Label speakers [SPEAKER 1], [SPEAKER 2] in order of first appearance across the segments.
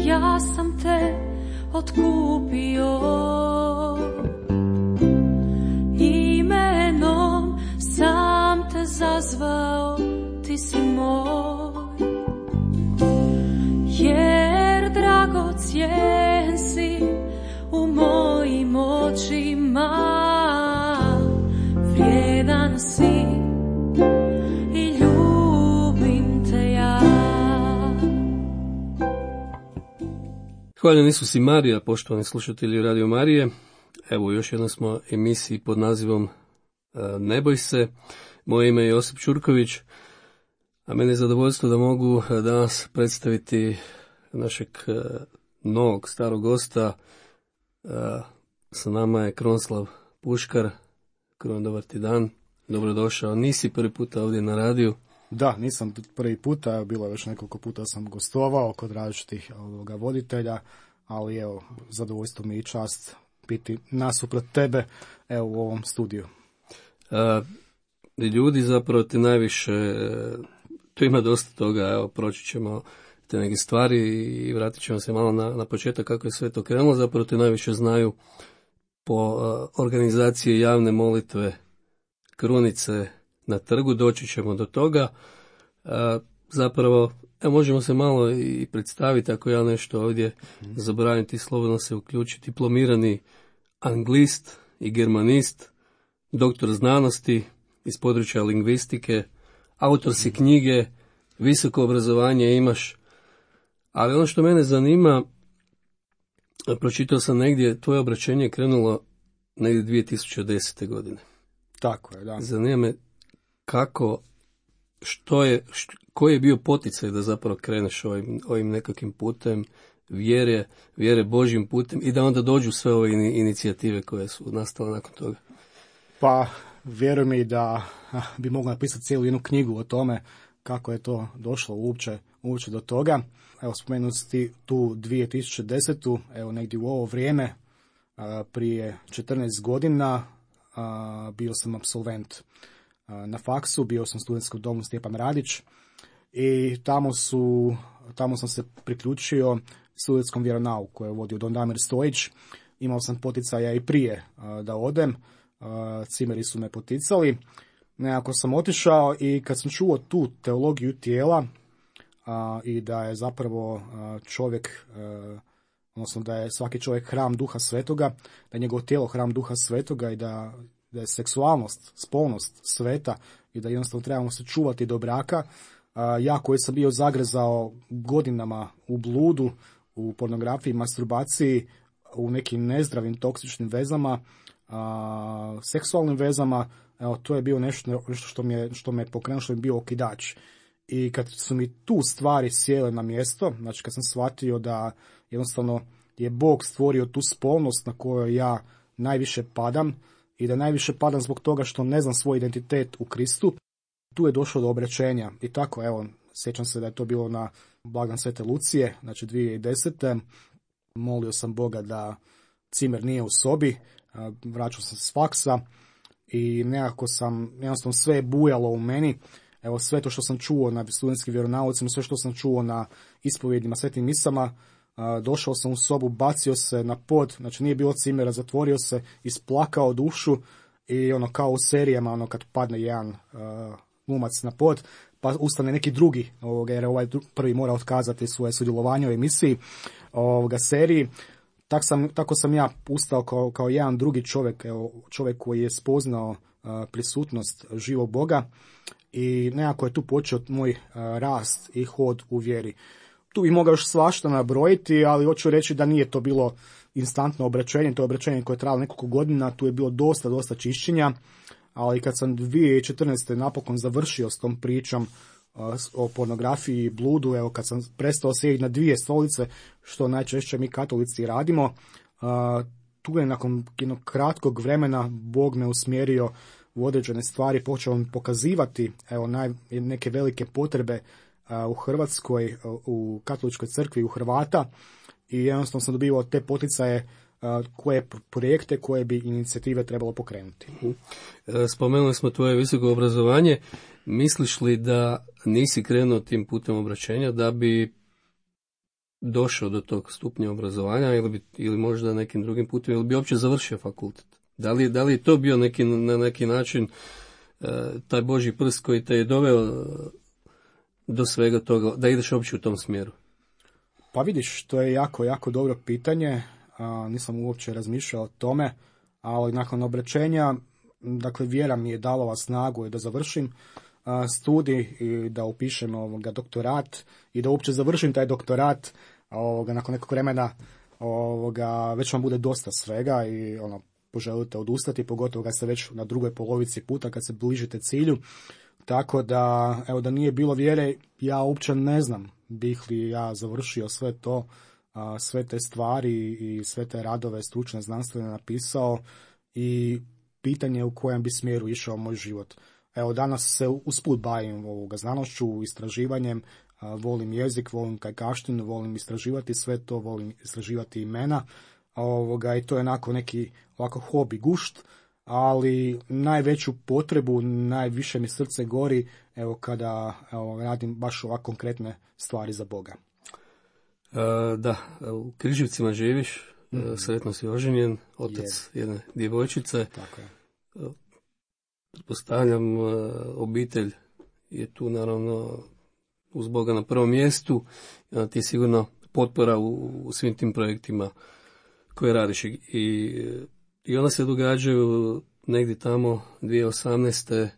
[SPEAKER 1] ja sam te otkupio. Imenom sam te zazvao, ti si moj. Jer dragocjen si u mojim očima, vrijedan si i ljubim te ja.
[SPEAKER 2] Hvaljen Isus i Marija, poštovani slušatelji Radio Marije. Evo, još jednom smo emisiji pod nazivom Ne boj se. Moje ime je Josip Ćurković, a meni je zadovoljstvo da mogu danas predstaviti našeg novog starog gosta. Sa nama je Krunoslav Puškar. Kruno, dobar ti dan. Dobrodošao. Nisi prvi puta ovdje na radiju.
[SPEAKER 3] Da, nisam prvi puta, bilo je već nekoliko puta sam gostovao kod različitih voditelja, ali evo, zadovoljstvo mi i čast biti nasuprot tebe, evo, u ovom studiju.
[SPEAKER 2] Ljudi zapravo ti najviše, tu ima dosta toga, evo, proći ćemo te neke stvari i vratit ćemo se malo na početak kako je sve to krenulo. Zapravo te najviše znaju po organizaciji javne molitve Krunice na trgu, doći ćemo do toga. Zapravo, možemo se malo i predstaviti, ako ja nešto ovdje zaboravim, ti slobodno se uključiti. Diplomirani anglist i germanist, doktor znanosti iz područja lingvistike, autor si knjige, visoko obrazovanje imaš, ali ono što mene zanima, pročitao sam negdje, tvoje obraćenje je krenulo negdje 2010. godine.
[SPEAKER 3] Tako je, da.
[SPEAKER 2] Zanima me kako, koji je bio poticaj da zapravo kreneš ovim nekakvim putem vjere Božjim putem i da onda dođu sve ove inicijative koje su nastale nakon toga?
[SPEAKER 3] Pa, vjeruj mi da bi mogla napisati cijelu jednu knjigu o tome kako je to došlo uopće do toga. Evo, spomenuti tu 2010. Evo, negdje u ovo vrijeme, prije 14 godina, bio sam apsolvent na faksu, bio sam u studentskom domu Stjepan Radić i tamo sam se priključio studentskom vjeronauku koje je vodio Don Damir Stojić. Imao sam poticaja i prije da odem, cimeri su me poticali. Nekako sam otišao i kad sam čuo tu teologiju tijela i da je zapravo čovjek, odnosno da je svaki čovjek hram Duha Svetoga, da je njegovo tijelo hram Duha Svetoga i da je seksualnost, spolnost sveta i da jednostavno trebamo se čuvati do braka. Ja koji sam bio zagrezao godinama u bludu, u pornografiji, masturbaciji, u nekim nezdravim toksičnim vezama, seksualnim vezama, evo, to je bio nešto što me pokrenulo, što je bio okidač. I kad su mi tu stvari sjele na mjesto, znači kad sam shvatio da jednostavno je Bog stvorio tu spolnost na kojoj ja najviše padam i da najviše padam zbog toga što ne znam svoj identitet u Kristu, tu je došlo do obraćenja. I tako, evo, sjećam se da je to bilo na blagdan Svete Lucije, znači 2010. Molio sam Boga da cimer nije u sobi, vraćao sam s faksa i nekako jednostavno sve je bujalo u meni. Evo, sve to što sam čuo na studentskim vjeronaucima, sve što sam čuo na ispovjedima, svetim misama, došao sam u sobu, bacio se na pod, znači nije bilo cimera, zatvorio se, isplakao dušu i ono kao u serijama, ono kad padne jedan glumac na pod, pa ustane neki drugi, jer ovaj prvi mora otkazati svoje sudjelovanje u emisiji seriji. Tako sam ja ustao kao jedan drugi čovjek, čovjek koji je spoznao prisutnost živog Boga i nekako je tu počeo moj rast i hod u vjeri. Tu bi mogao još svašta nabrojiti, ali hoću reći da nije to bilo instantno obraćenje, to je obraćenje koje je trajalo nekoliko godina, tu je bilo dosta čišćenja, ali kad sam 2014. napokon završio s tom pričom o pornografiji i bludu, evo kad sam prestao sjediti na dvije stolice, što najčešće mi katolici radimo, tu je nakon jednog kratkog vremena Bog me usmjerio u određene stvari, počeo mi pokazivati neke velike potrebe u Hrvatskoj, u katoličkoj crkvi, u Hrvata i jednostavno sam dobivao te poticaje koje projekte, koje bi inicijative trebalo pokrenuti.
[SPEAKER 2] Spomenuli smo tvoje visoko obrazovanje. Misliš li da nisi krenuo tim putem obraćenja došao do tog stupnja obrazovanja ili možda nekim drugim putem, ili bi uopće završio fakultet? Da li je to bio na neki način taj Božji prst koji te je doveo do svega toga, da ideš uopće u tom smjeru?
[SPEAKER 3] Pa vidiš, to je jako, jako dobro pitanje. Nisam uopće razmišljao o tome, ali nakon obraćenja, dakle, vjera mi je dala snagu da završim studij i da upišem doktorat i da uopće završim taj doktorat. Nakon nekog vremena već vam bude dosta svega i poželite odustati, pogotovo kad ste već na drugoj polovici puta, kad se bližite cilju. Tako da, evo, da nije bilo vjere, ja uopće ne znam bih li ja završio sve to, sve te stvari i sve te radove stručne, znanstvene napisao i pitanje u kojem bi smjeru išao moj život. Evo, danas se usput bavim znanošću, istraživanjem, volim jezik, volim kajkavštinu, volim istraživati sve to, volim istraživati imena, i to je onako neki ovako hobi, gušt, ali najveću potrebu, najviše mi srce gori kada radim baš ovako konkretne stvari za Boga.
[SPEAKER 2] Da, u Križevcima živiš, sretno si oženjen, otac jedne djevojčice.
[SPEAKER 3] Tako je.
[SPEAKER 2] Pretpostavljam, obitelj je tu naravno uz Boga na prvom mjestu, ti je sigurno potpora u svim tim projektima koje radiš i onda se događaju negdje tamo 2018.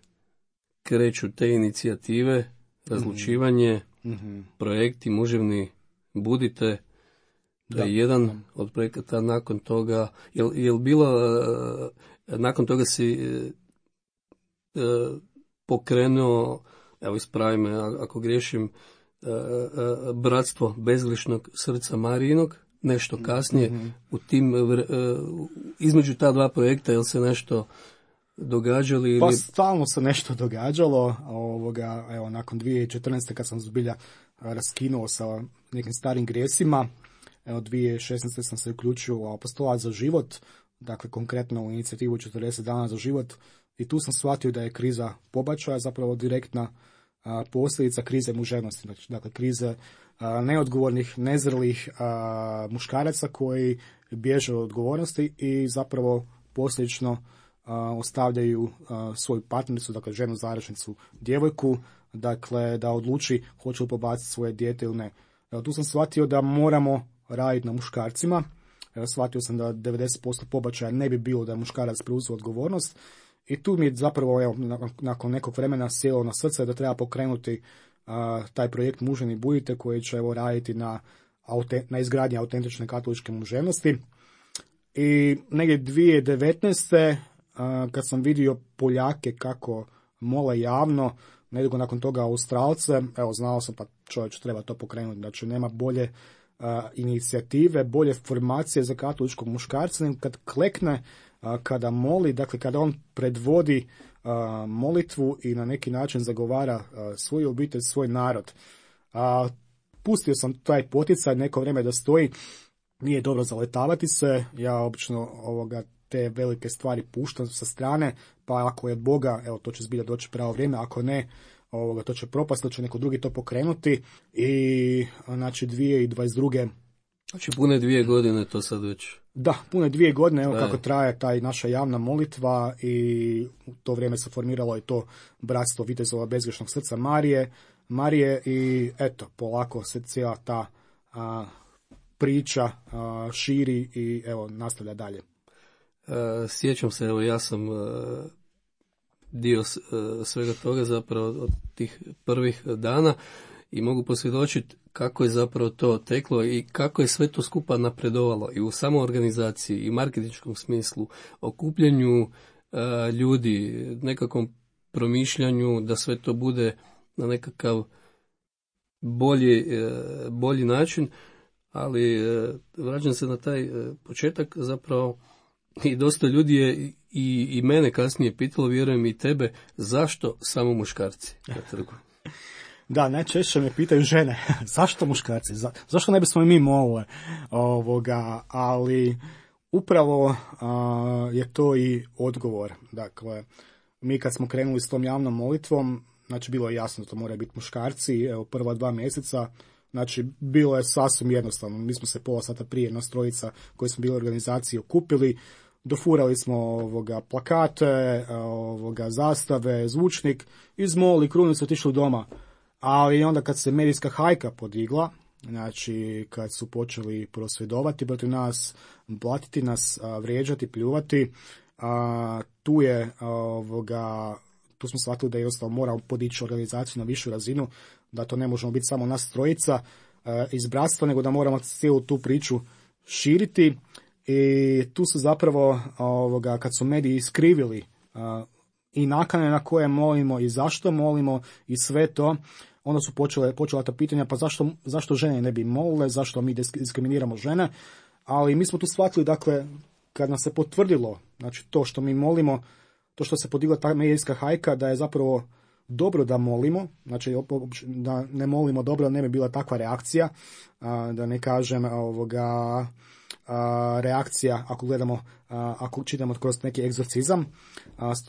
[SPEAKER 2] kreću te inicijative, razlučivanje, projekti muževni budite, to je jedan od projekata. Nakon toga, jel bilo, nakon toga si pokrenuo, evo ispravi me ako griješim, Bratstvo bezgrišnog srca Marijinog, nešto kasnije, u tim, između ta dva projekta, jel se nešto događalo?
[SPEAKER 3] Pa stalno se nešto događalo, evo, nakon 2014. kad sam zbilja raskinuo sa nekim starim grijesima, evo, 2016. sam se uključio u Apostolat za život, dakle konkretno u inicijativu 40 dana za život, i tu sam shvatio da je kriza pobačaja zapravo direktna posljedica krize muževnosti, dakle krize neodgovornih, nezrelih muškaraca koji bježe od odgovornosti i zapravo posljedično ostavljaju svoju partnericu, dakle ženu zarašnicu, djevojku, dakle da odluči hoće li pobaciti svoje dijete ili ne. Evo, tu sam shvatio da moramo raditi na muškarcima. Evo, shvatio sam da 90% pobačaja ne bi bilo da je muškarac preuzeo odgovornost. I tu mi je zapravo, evo, nakon nekog vremena sjelo na srce da treba pokrenuti taj projekt Muženi budite, koji će, evo, raditi na izgradnji autentične katoličke muževnosti. I negdje 2019. Kad sam vidio Poljake kako mole javno, nedugo nakon toga Australce, evo, znao sam, pa čovječ, treba to pokrenuti. Znači, nema bolje inicijative, bolje formacije za katoličkog muškarca, nego kad klekne, kada moli, dakle kada on predvodi molitvu i na neki način zagovara svoju obitelj, svoj narod. Pustio sam taj poticaj neko vrijeme da stoji, nije dobro zaletavati se, ja obično te velike stvari puštam sa strane, pa ako je od Boga, evo, to će zbilja doći pravo vrijeme, ako ne, to će propasti, to će neko drugi to pokrenuti i znači 2022.
[SPEAKER 2] Znači pune 2 godine to sad već.
[SPEAKER 3] Da, pune 2 godine, evo kako traje taj naša javna molitva i u to vrijeme se formiralo i to Bratstvo vitezova bezgrešnog srca Marije i eto, polako se cijela ta priča širi i evo nastavlja dalje.
[SPEAKER 2] Sjećam se, evo ja sam dio svega toga zapravo od tih prvih dana i mogu posvjedočiti kako je zapravo to teklo i kako je sve to skupa napredovalo i u samoorganizaciji i marketinškom smislu, okupljanju ljudi, nekakvom promišljanju da sve to bude na nekakav bolji način, ali vraćam se na taj početak zapravo i dosta ljudi je i mene kasnije pitalo, vjerujem i tebe, zašto samo muškarci na trgu?
[SPEAKER 3] Da, najčešće me pitaju žene, zašto muškarci, zašto ne bismo i mi mogli, ali upravo je to i odgovor. Dakle, mi kad smo krenuli s tom javnom molitvom, znači bilo je jasno da to moraju biti muškarci, evo prva 2 mjeseca Znači, bilo je sasvim jednostavno. Mi smo se pola sata prije nas trojica koji smo bili u organizaciji okupili, dofurali smo plakate, zastave, zvučnik, izmolili krunicu, otišli doma. Ali onda kad se medijska hajka podigla, znači kad su počeli prosvjedovati protiv nas, blatiti nas, vrijeđati, pljuvati, tu smo shvatili da jednostavno moramo podići organizaciju na višu razinu, da to ne možemo biti samo nas trojica iz bratstva, nego da moramo cijelu tu priču širiti. I tu su zapravo, kad su mediji iskrivili i nakane na koje molimo i zašto molimo i sve to, onda su počela ta pitanja, pa zašto žene ne bi molile, zašto mi diskriminiramo žene, ali mi smo tu shvatili, dakle, kad nas se potvrdilo, znači to što mi molimo, to što se podigla ta medijska hajka, da je zapravo dobro da molimo, znači da ne molimo dobro, ne bi bila takva reakcija, da ne kažem reakcija ako gledamo, ako čitamo kroz neki egzorcizam.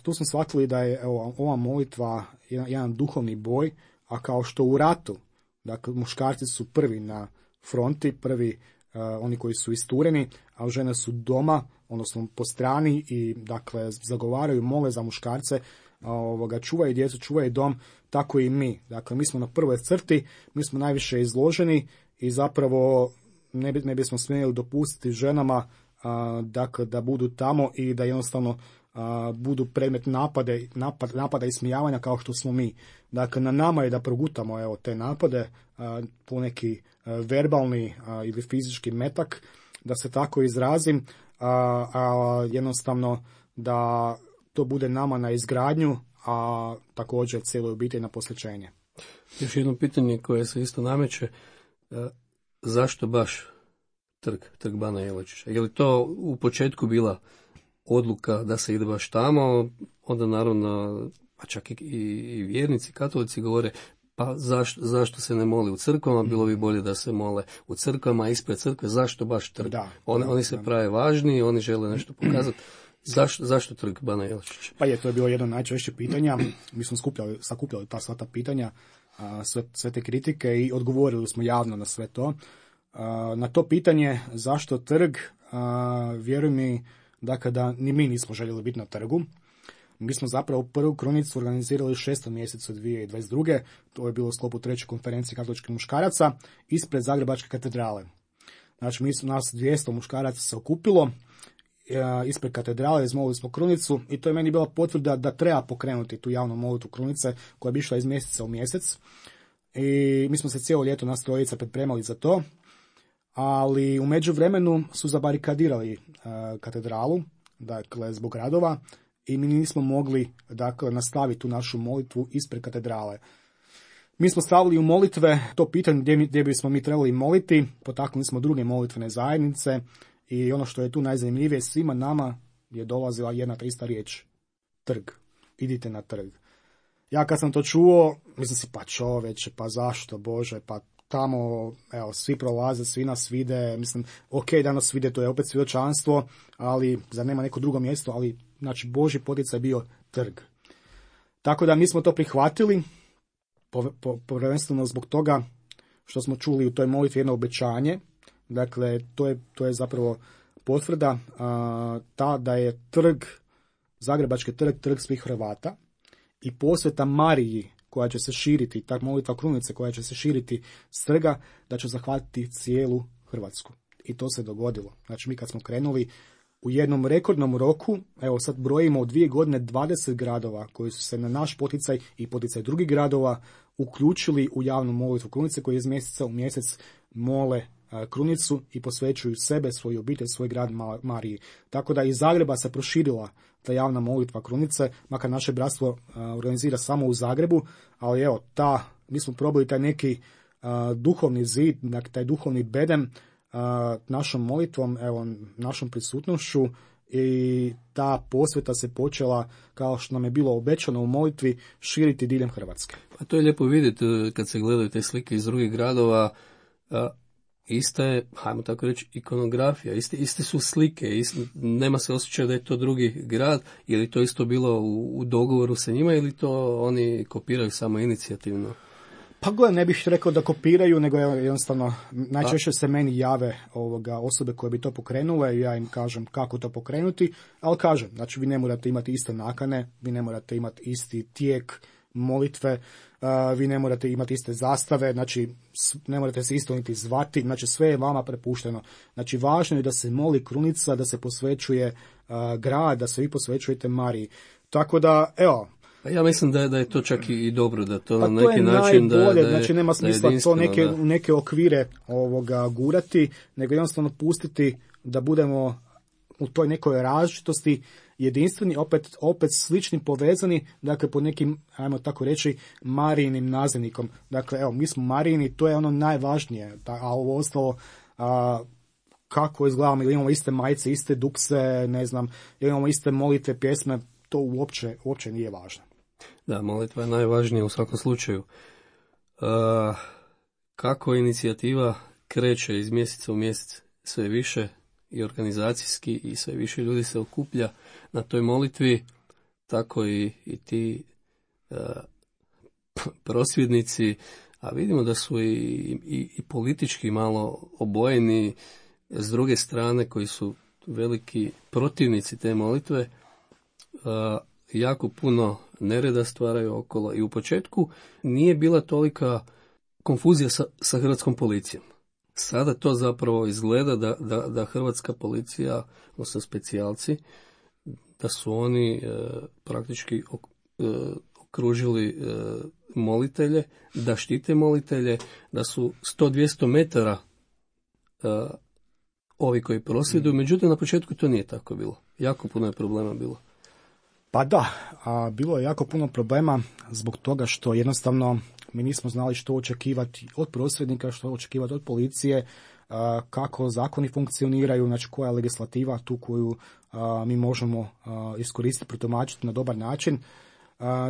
[SPEAKER 3] Tu smo shvatili da je ova molitva jedan duhovni boj, a kao što u ratu, dakle muškarci su prvi na fronti, prvi oni koji su istureni, a žene su doma, odnosno po strani i dakle zagovaraju, mole za muškarce, čuvaju djecu, čuvaju dom, tako i mi. Dakle, mi smo na prvoj crti, mi smo najviše izloženi i zapravo ne bismo smjeli dopustiti ženama dakle, da budu tamo i da jednostavno budu predmet napada i smijavanja kao što smo mi. Dakle, na nama je da progutamo te napade, po neki verbalni ili fizički metak, da se tako izrazim, jednostavno da to bude nama na izgradnju, a također cijeloj obitelji na posvećenje.
[SPEAKER 2] Još jedno pitanje koje se isto nameće, zašto baš trg Bana Jelačića? Je li to u početku bila odluka da se ide baš tamo, onda naravno, a čak i vjernici, katolici govore, pa zašto se ne moli u crkvama, bilo bi bolje da se mole u crkvama, ispred crkve, zašto baš trg? Oni se prave važni, oni žele nešto pokazati. Zašto trg Bana Jelačića?
[SPEAKER 3] Pa to je bilo jedno najčešće pitanja. Mi smo sakupljali sva ta pitanja, sve te kritike i odgovorili smo javno na sve to. Na to pitanje zašto trg, vjeruj mi da ni mi nismo željeli biti na trgu. Mi smo zapravo prvu krunicu organizirali u 6. mjesecu 2022. To je bilo u sklopu 3. konferencije katoličkih muškaraca ispred Zagrebačke katedrale. Znači, nas 200 muškaraca se okupilo ispred katedrale, izmolili smo krunicu i to je meni bila potvrda da treba pokrenuti tu javnu molitvu krunice koja bi išla iz mjeseca u mjesec. I mi smo se cijelo ljeto nas trojica pripremali za to, ali u međuvremenu su zabarikadirali katedralu, dakle zbog radova, i mi nismo mogli nastaviti tu našu molitvu ispred katedrale. Mi smo stavili u molitve to pitanje gdje bismo mi trebali moliti, potaknuli smo druge molitvene zajednice i ono što je tu najzanimljivije, svima nama je dolazila jedna te ista riječ, trg, idite na trg. Ja kad sam to čuo, mislim si, pa čoveče, pa zašto, Bože, pa tamo, svi prolaze, svi nas vide, mislim, ok, da nas vide, to je opet svjedočanstvo, ali zar nema neko drugo mjesto, ali, znači, Božji poticaj je bio trg. Tako da mi smo to prihvatili, prvenstveno zbog toga što smo čuli u toj molitvi jedno obećanje, dakle, to je zapravo potvrda da je trg, Zagrebački trg svih Hrvata i posveta Mariji koja će se širiti, ta molitva krunice koja će se širiti s trga, da će zahvatiti cijelu Hrvatsku. I to se dogodilo. Znači, mi kad smo krenuli u jednom rekordnom roku, evo sad brojimo u 2 godine 20 gradova koji su se na naš poticaj i poticaj drugih gradova uključili u javnu molitvu krunice koji iz mjeseca u mjesec mole krunicu i posvećuju sebe, svoju obitelj, svoj grad Mariji. Tako da iz Zagreba se proširila ta javna molitva krunice, makar naše bratstvo organizira samo u Zagrebu, ali evo, mi smo probali taj neki duhovni zid, taj duhovni bedem našom molitvom, evo, našom prisutnošću, i ta posveta se počela, kao što nam je bilo obećano u molitvi, širiti diljem Hrvatske.
[SPEAKER 2] Pa to je lijepo vidjeti kad se gledaju te slike iz drugih gradova. Ista je, hajmo tako reći, ikonografija, iste su slike, nema se osjećaj da je to drugi grad, je li to isto bilo u dogovoru sa njima ili to oni kopiraju samo inicijativno?
[SPEAKER 3] Pa gledaj, ne bih rekao da kopiraju, nego jednostavno najčešće se meni jave osobe koje bi to pokrenule i ja im kažem kako to pokrenuti, ali kažem, znači vi ne morate imati iste nakane, vi ne morate imati isti tijek molitve, vi ne morate imati iste zastave, znači ne morate se isto niti zvati, znači sve je vama prepušteno. Znači važno je da se moli krunica, da se posvećuje grad, da se vi posvećujete Mariji. Tako da, evo,
[SPEAKER 2] ja mislim da je to čak i dobro, da to na
[SPEAKER 3] to
[SPEAKER 2] neki način
[SPEAKER 3] najbolje,
[SPEAKER 2] da je,
[SPEAKER 3] znači nema smisla to neke okvire gurati, nego jednostavno pustiti da budemo u toj nekoj različitosti jedinstveni, opet slični, povezani, dakle po nekim, ajmo tako reći, Marijinim nazivnikom. Dakle, evo, mi smo Marijini, to je ono najvažnije, a ovo ostalo, kako izgledamo, ili imamo iste majice, iste dukse, ne znam, ili imamo iste molitve, pjesme, to uopće nije važno.
[SPEAKER 2] Da, molitva je najvažnija u svakom slučaju. Kako inicijativa kreće iz mjeseca u mjesec sve više i organizacijski i sve više ljudi se okuplja na toj molitvi, tako i ti prosvjednici, a vidimo da su i politički malo obojeni s druge strane koji su veliki protivnici te molitve, jako puno nereda stvaraju okolo i u početku nije bila tolika konfuzija sa hrvatskom policijom. Sada to zapravo izgleda da hrvatska policija, odnosno specijalci, da su oni praktički okružili molitelje, da štite molitelje, da su 100-200 metara ovi koji prosvjeduju, međutim na početku to nije tako bilo. Jako puno je problema bilo.
[SPEAKER 3] Pa da, bilo je jako puno problema zbog toga što jednostavno mi nismo znali što očekivati od prosvjednika, što očekivati od policije, kako zakoni funkcioniraju, znači koja je legislativa tu koju mi možemo iskoristiti, protumačiti na dobar način.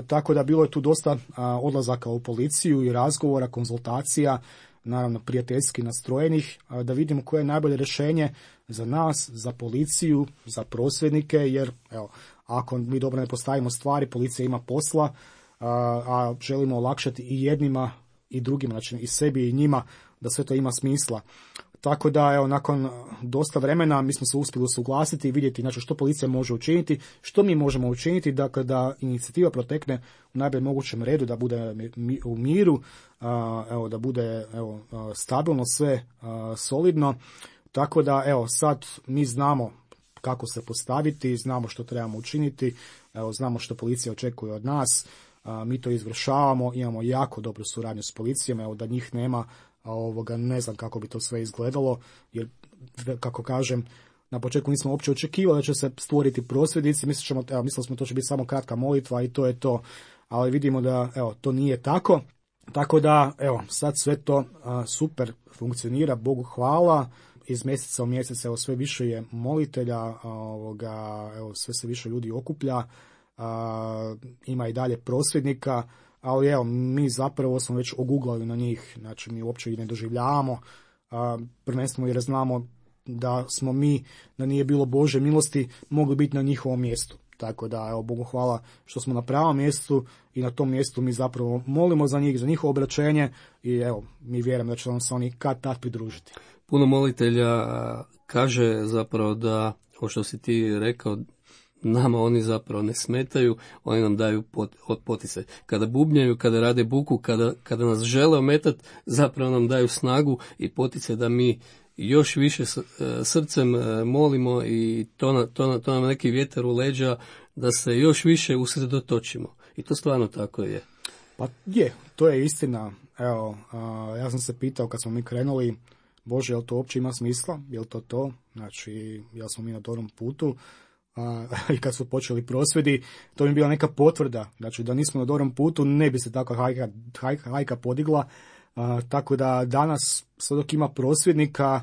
[SPEAKER 3] Tako da bilo je tu dosta odlazaka u policiju i razgovora, konzultacija, naravno prijateljski nastrojenih, da vidimo koje je najbolje rješenje za nas, za policiju, za prosvjednike, jer evo, ako mi dobro ne postavimo stvari, policija ima posla, a želimo olakšati i jednima i drugima, znači i sebi i njima, da sve to ima smisla. Tako da, evo, nakon dosta vremena mi smo se uspjeli usuglasiti i vidjeti, znači, što policija može učiniti, što mi možemo učiniti, dakle, da inicijativa protekne u najboljem mogućem redu, da bude u miru, evo, da bude stabilno sve, solidno. Tako da, evo, sad mi znamo kako se postaviti, znamo što trebamo učiniti, evo, znamo što policija očekuje od nas, mi to izvršavamo, imamo jako dobru suradnju s policijom, evo, da njih nema, ne znam kako bi to sve izgledalo, jer, kako kažem, na početku nismo uopće očekivali da će se stvoriti prosvjednici, mislili smo to će biti samo kratka molitva i to je to, ali vidimo da, evo, to nije tako. Tako da, evo, sad sve to super funkcionira, Bogu hvala, iz mjeseca u mjesec, evo, sve više je molitelja, evo, sve se više ljudi okuplja, ima i dalje prosvjednika, ali evo, mi zapravo smo već oguglali na njih, znači mi uopće ih ne doživljavamo, prvenstveno jer znamo da smo mi, da nije bilo Bože milosti, mogli biti na njihovom mjestu. Tako da, evo, Bogu hvala što smo na pravom mjestu i na tom mjestu mi zapravo molimo za njih, za njihovo obraćenje i evo, mi vjerujemo da će nam se oni kad tad pridružiti.
[SPEAKER 2] Puno molitelja kaže zapravo da, ovo što si ti rekao, nama oni zapravo ne smetaju, oni nam daju poticaj. Kada bubnjaju, kada rade buku, kada nas žele ometati, zapravo nam daju snagu i poticaj da mi još više srcem molimo i to nam neki vjetar u leđa da se još više usredotočimo. I to stvarno tako je.
[SPEAKER 3] Pa je, to je istina. Evo, ja sam se pitao kad smo mi krenuli, Bože, jel to uopće ima smisla? Jel to? Znači, jel smo mi na dobrom putu? I kad su počeli prosvjedi, to mi je bila neka potvrda. Znači, da nismo na dobrom putu, ne bi se takva hajka podigla. Tako da danas, sve dok ima prosvjednika,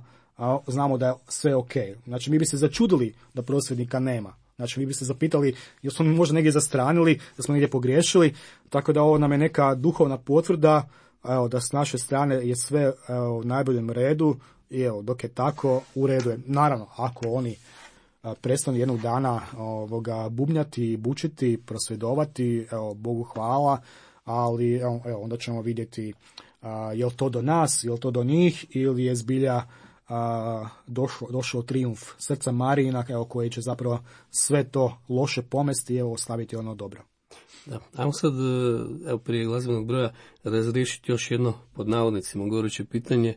[SPEAKER 3] znamo da je sve ok. Znači, mi bi se začudili da prosvjednika nema. Znači, mi bi se zapitali, jel smo mi možda negdje zastranili, da smo negdje pogriješili. Tako da ovo nam je neka duhovna potvrda, evo, da s naše strane je sve u najboljem redu i evo, dok je tako, u redu je. Naravno, ako oni prestanu jednog dana bubnjati, bučiti, prosvjedovati, evo, Bogu hvala, ali evo, onda ćemo vidjeti Je li to do nas, je li to do njih, ili je zbilja došao trijumf srca Marijina, koji će zapravo sve to loše pomesti i ostaviti ono dobro.
[SPEAKER 2] Da. Ajmo sad, prije glazbenog broja, razriješiti još jedno, pod navodnicima, goruće pitanje.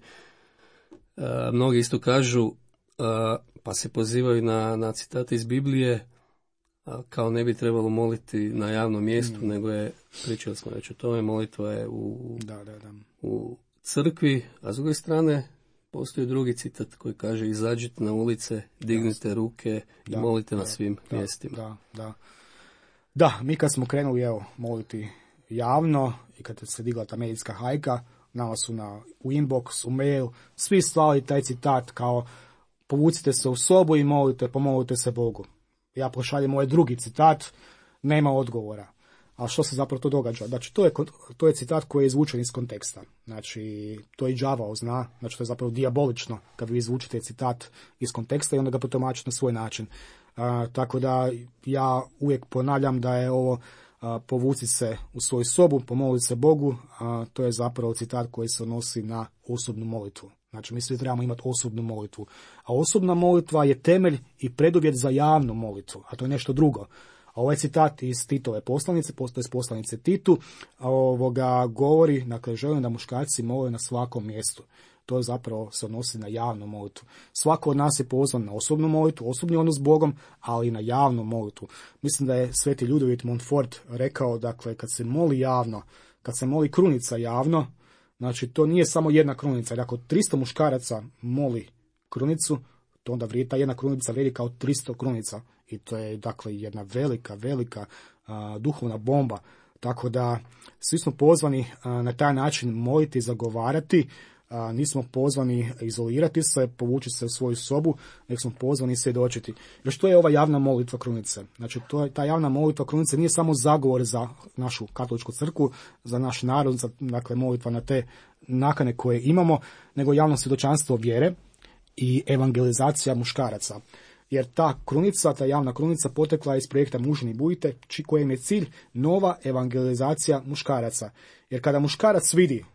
[SPEAKER 2] Mnogi isto kažu, pa se pozivaju na citate iz Biblije, kao ne bi trebalo moliti na javnom mjestu, nego je, pričali smo već o tome, molitva je u crkvi, a s druge strane postoji drugi citat koji kaže: izađite na ulice, dignite ruke i molite na svim mjestima.
[SPEAKER 3] Da, mi kad smo krenuli moliti javno i kad se digla ta medijska hajka, nama su u inbox, u mail, svi slali taj citat kao: povucite se u sobu i pomolite se Bogu. Ja pošaljem ovaj drugi citat, nema odgovora. A što se zapravo to događa? Znači, to je citat koji je izvučen iz konteksta. Znači, to i đavao zna, znači to je zapravo dijabolično kad vi izvučete citat iz konteksta i onda ga protumačite na svoj način. Tako da ja uvijek ponavljam da je ovo povuci se u svoju sobu, pomoli se Bogu, to je zapravo citat koji se odnosi na osobnu molitvu. Znači, mi svi trebamo imati osobnu molitvu. A osobna molitva je temelj i preduvjet za javnu molitvu, a to je nešto drugo. A ovaj citat iz Titove poslanice, postoje iz poslanice Titu, govori, dakle, želim da muškarci mole na svakom mjestu. To zapravo se odnosi na javnu molitvu. Svako od nas je pozvan na osobnu molitvu, osobni odnos s Bogom, ali i na javnu molitvu. Mislim da je sveti Ljudevit Montfort rekao, dakle, kad se moli javno, kad se moli krunica javno, znači to nije samo jedna krunica. Jer ako 300 muškaraca moli krunicu, to onda ta jedna krunica vrijedi kao 300 krunica. I to je, dakle, jedna velika duhovna bomba. Tako da svi smo pozvani na taj način moliti i zagovarati. Nismo pozvani izolirati se, povući se u svoju sobu, nek smo pozvani svjedočiti. Jer što je ova javna molitva krunice? Znači, ta javna molitva krunice nije samo zagovor za našu katoličku crkvu, za naš narod, dakle, molitva na te nakane koje imamo, nego javno svjedočanstvo vjere i evangelizacija muškaraca. Jer ta javna krunica potekla iz projekta Mužni budite, kojem je cilj nova evangelizacija muškaraca. Jer kada muškarac vidi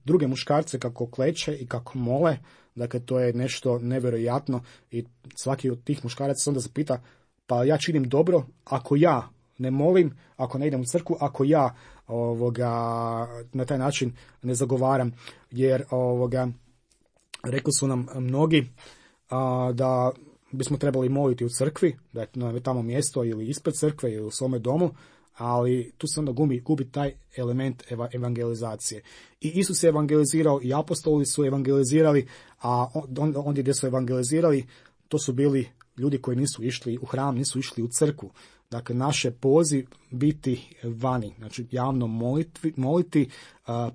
[SPEAKER 3] druge muškarce kako kleče i kako mole, dakle, to je nešto nevjerojatno i svaki od tih muškaraca se onda zapita: pa ja činim dobro ako ja ne molim, ako ne idem u crkvu, ako ja na taj način ne zagovaram. Jer rekli su nam mnogi da bismo trebali moliti u crkvi, da je tamo mjesto ili ispred crkve ili u svome domu, ali tu se onda gubi taj element evangelizacije. I Isus je evangelizirao i apostoli su evangelizirali, a ondje gdje su evangelizirali, to su bili ljudi koji nisu išli u hram, nisu išli u crkvu. Dakle, naš je poziv biti vani, znači javno moliti,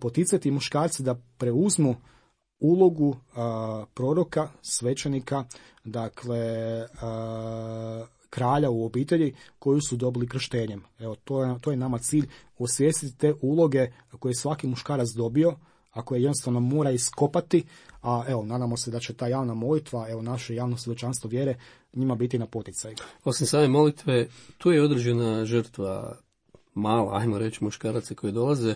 [SPEAKER 3] poticati muškarce da preuzmu ulogu proroka, svećenika, dakle, kralja u obitelji koju su dobili krštenjem. Evo, to je nama cilj, osvijestiti te uloge koje je svaki muškarac dobio, a koje jednostavno mora iskopati, a evo, nadamo se da će ta javna molitva, naše javno svjedočanstvo vjere njima biti na poticaj.
[SPEAKER 2] Osim same molitve, tu je određena žrtva mala, ajmo reći, muškaraca koji dolaze.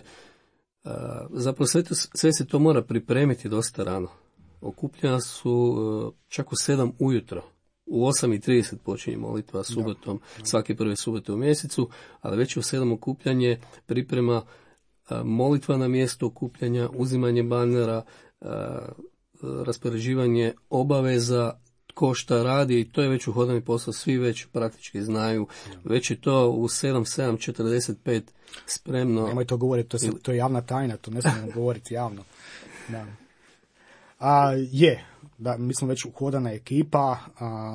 [SPEAKER 2] Zapravo sve se to mora pripremiti dosta rano. Okupljena su čak u 7 ujutro. U 8:30 počinje molitva subotom, svake prve subote u mjesecu, ali već u 7 okupljanje, priprema, molitva na mjesto okupljanja, uzimanje banera, raspoređivanje obaveza, tko šta radi, i to je već uhodani posao, svi već praktički znaju. Već je to u 7:45 spremno.
[SPEAKER 3] Nemoj to govoriti, to je javna tajna, to ne smijemo govoriti javno. Da. Mi smo već uhodana ekipa,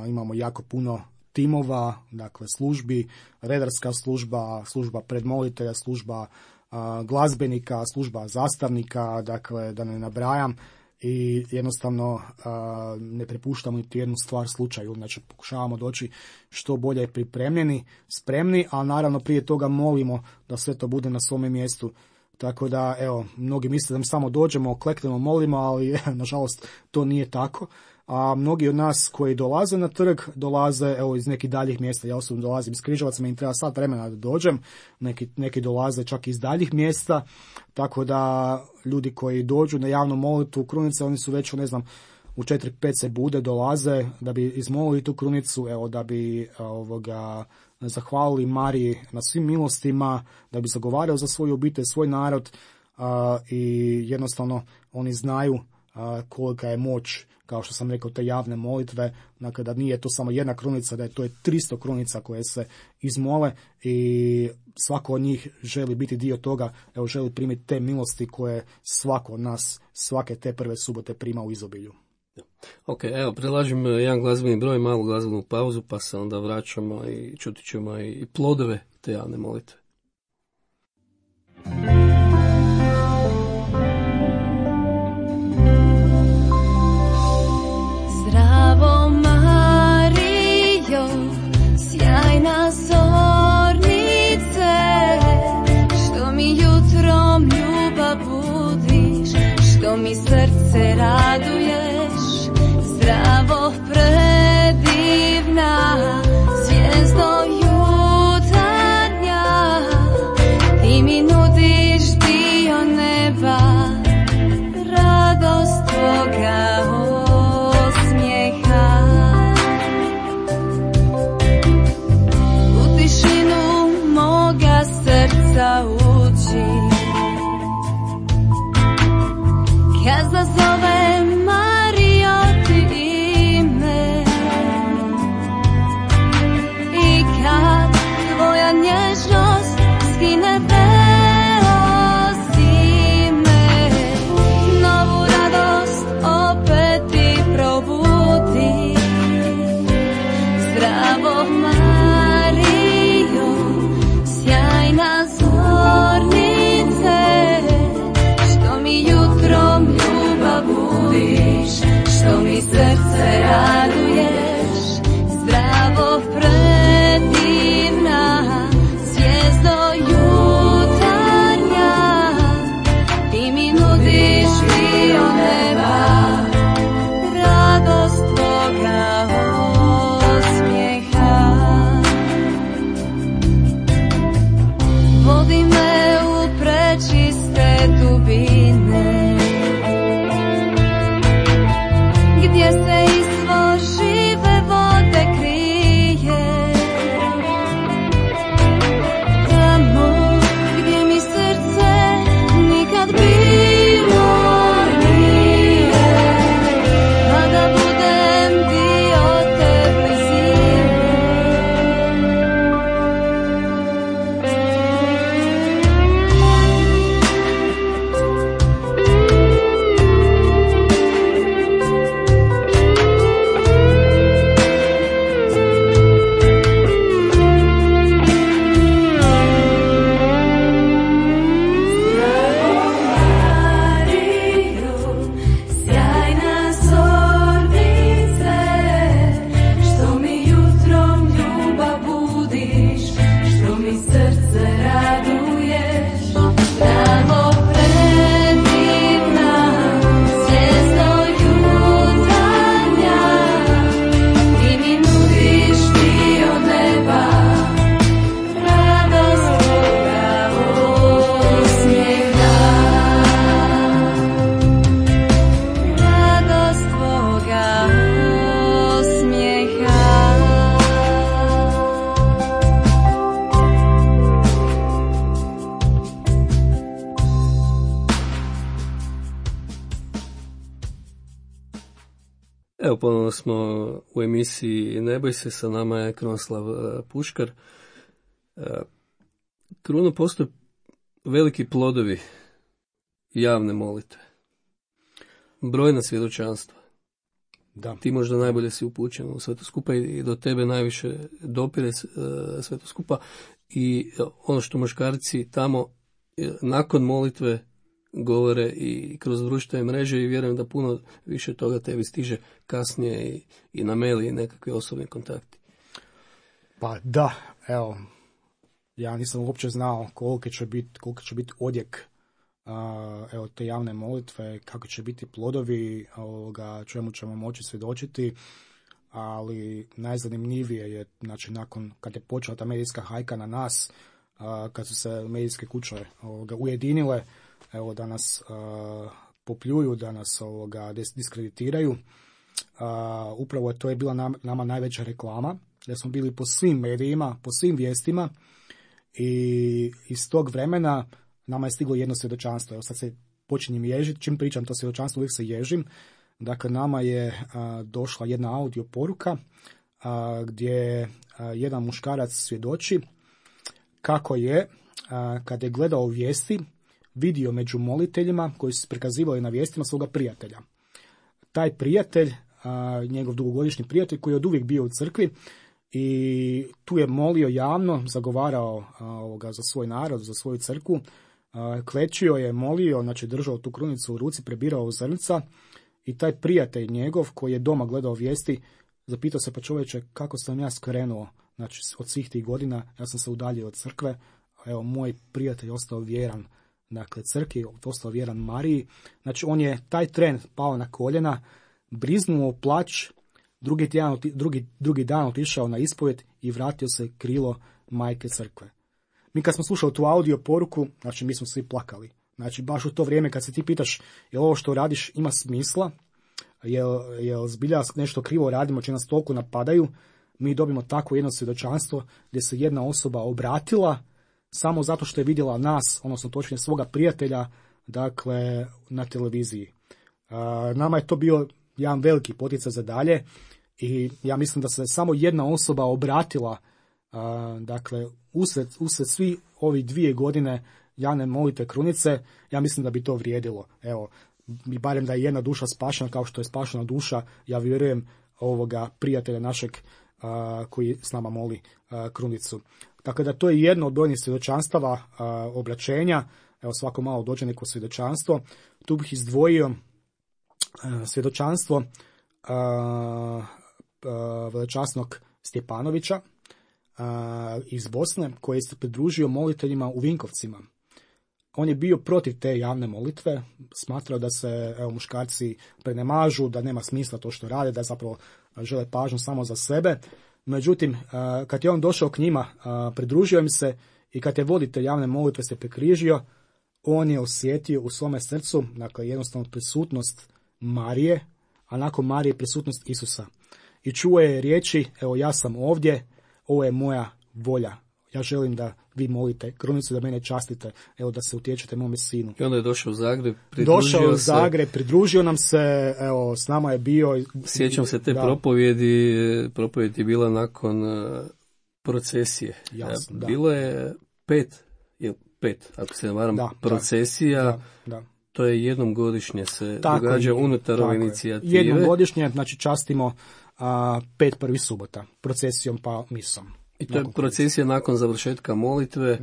[SPEAKER 3] imamo jako puno timova, dakle službi, redarska služba predmolitelja, služba glazbenika, služba zastavnika, dakle da ne nabrajam, i jednostavno ne prepuštamo niti jednu stvar slučaju, znači pokušavamo doći što bolje pripremljeni, spremni, a naravno prije toga molimo da sve to bude na svome mjestu. Tako da, evo, mnogi misle da mi samo dođemo, kleknemo, molimo, ali nažalost to nije tako. A mnogi od nas koji dolaze na trg, dolaze evo iz nekih daljih mjesta. Ja osobno dolazim iz Križevaca, meni treba sat vremena da dođem. Neki dolaze čak iz daljih mjesta. Tako da ljudi koji dođu na javnu molitvu krunice, oni su već, ne znam, u 4-5 se bude, dolaze da bi izmolili tu krunicu, evo, da bi zahvalili Mariji na svim milostima, da bi zagovarao za svoju obitelj, svoj narod, i jednostavno oni znaju kolika je moć, kao što sam rekao, te javne molitve, dakle da nije to samo jedna krunica, da je to 300 krunica koje se izmole i svako od njih želi biti dio toga, evo, želi primiti te milosti koje svako od nas svake te prve subote prima u izobilju.
[SPEAKER 2] Ok, evo, predlažem jedan glazbeni broj, malu glazbenu pauzu, pa se onda vraćamo i čuti ćemo i plodove te javne molitve.
[SPEAKER 1] Zdravo Marijo, sjajna zornice, što mi jutrom ljubav budiš, što mi srce raduješ. Zdravo predivna, zvijezdo jutarnja, ti mi nudiš dio neba, radost tvoga osmijeha. U tišinu moga srca uđi, kad zazovem nježnost skine beosime, novu radost opet ti probudi. Zdravo Marijo, sjajna zornice, što mi jutrom ljubav budiš, što mi srce raduješ. Zdravo predivna, zvijezdo jutarnja, ti mi nudiš dio neba, radost tvoga osmijeha. Vodi me u prečiste dubine, gdje se izvor žive vode krije. Tamo gdje mi srce nikad bilo nije, a da budem dio te blizine.
[SPEAKER 2] Evo, ponovno smo u emisiji Ne boj se, sa nama je Krunoslav Puškar. Kruno, postoje veliki plodovi javne molitve, brojna svjedočanstva.
[SPEAKER 3] Da.
[SPEAKER 2] Ti možda najbolje si upućen u sve to skupa i do tebe najviše dopire sve to skupa. I ono što muškarci tamo nakon molitve govore i kroz društvene mreže, i vjerujem da puno više toga tebi stiže kasnije i na mail i nekakve osobne kontakti.
[SPEAKER 3] Pa da, evo, ja nisam uopće znao koliki će biti odjek evo te javne molitve, kako će biti plodovi, čemu ćemo moći svjedočiti, ali najzanimljivije je, znači nakon kad je počela ta medijska hajka na nas, kad su se medijske kuće ujedinile, evo da nas popljuju, da nas diskreditiraju, upravo to je bila nama najveća reklama, da smo bili po svim medijima, po svim vijestima, i iz tog vremena nama je stiglo jedno svjedočanstvo. Evo sad se počinjem ježiti, čim pričam to svjedočanstvo uvijek se ježim. Dakle, nama je došla jedna audio poruka gdje jedan muškarac svjedoči kako je, kad je gledao vijesti, vidio među moliteljima koji su prikazivali na vijestima svoga prijatelja. Taj prijatelj, njegov dugogodišnji prijatelj koji je od uvijek bio u crkvi, i tu je molio javno, zagovarao za svoj narod, za svoju crkvu, klečio je, molio, znači držao tu krunicu u ruci, prebirao zrnca, i taj prijatelj njegov koji je doma gledao vijesti zapitao se, pa čovječe, kako sam ja skrenuo, znači od svih tih godina, ja sam se udaljio od crkve, evo moj prijatelj ostao vjeran, dakle crkvi, ostao vjeran Mariji, znači on je taj tren pao na koljena, briznuo plać, drugi dan otišao na ispovjed i vratio se krilo majke crkve. Mi kad smo slušali tu audio poruku, znači mi smo svi plakali. Znači baš u to vrijeme kad se ti pitaš jel ovo što radiš ima smisla, jel zbilja nešto krivo radimo, će nas toliko napadaju, mi dobimo tako jedno svjedočanstvo gdje se jedna osoba obratila samo zato što je vidjela nas, odnosno točnije svoga prijatelja, dakle na televiziji. Nama je to bio jedan veliki poticaj za dalje i ja mislim da se samo jedna osoba obratila, dakle usred svi ovi 2 godine javne molitve krunice, ja mislim da bi to vrijedilo. Evo, barem da je jedna duša spašena kao što je spašena duša, ja vjerujem ovoga prijatelja našeg koji s nama moli krunicu. Dakle, da to je jedno od brojnih svjedočanstava obraćenja. Evo, svako malo dođe neko svjedočanstvo. Tu bih izdvojio svjedočanstvo velečasnog Stjepanovića iz Bosne, koji se pridružio moliteljima u Vinkovcima. On je bio protiv te javne molitve, smatrao da se muškarci prenemažu, da nema smisla to što rade, da zapravo žele pažnju samo za sebe. Međutim, kad je on došao k njima, pridružio im se i kad je voditelj javne molitve se prekrižio, on je osjetio u svome srcu, dakle, jednostavno prisutnost Marije, a nakon Marije prisutnost Isusa. I čuo je riječi, evo ja sam ovdje, ovo je moja volja. Ja želim da vi molite krunicu, da mene častite, evo da se utječete mome sinu.
[SPEAKER 2] I onda je došao u Zagreb,
[SPEAKER 3] pridružio nam se, evo s nama je bio.
[SPEAKER 2] Sjećam se te propovjedi je bila nakon procesije.
[SPEAKER 3] Jasno,
[SPEAKER 2] bilo je 5, ako se ne varam, procesija.
[SPEAKER 3] Da.
[SPEAKER 2] To je jednom godišnje se događa unutar ove inicijative.
[SPEAKER 3] Jednom godišnje, znači častimo 5 prvih subota, procesijom pa misom.
[SPEAKER 2] I to je procesija nakon završetka molitve,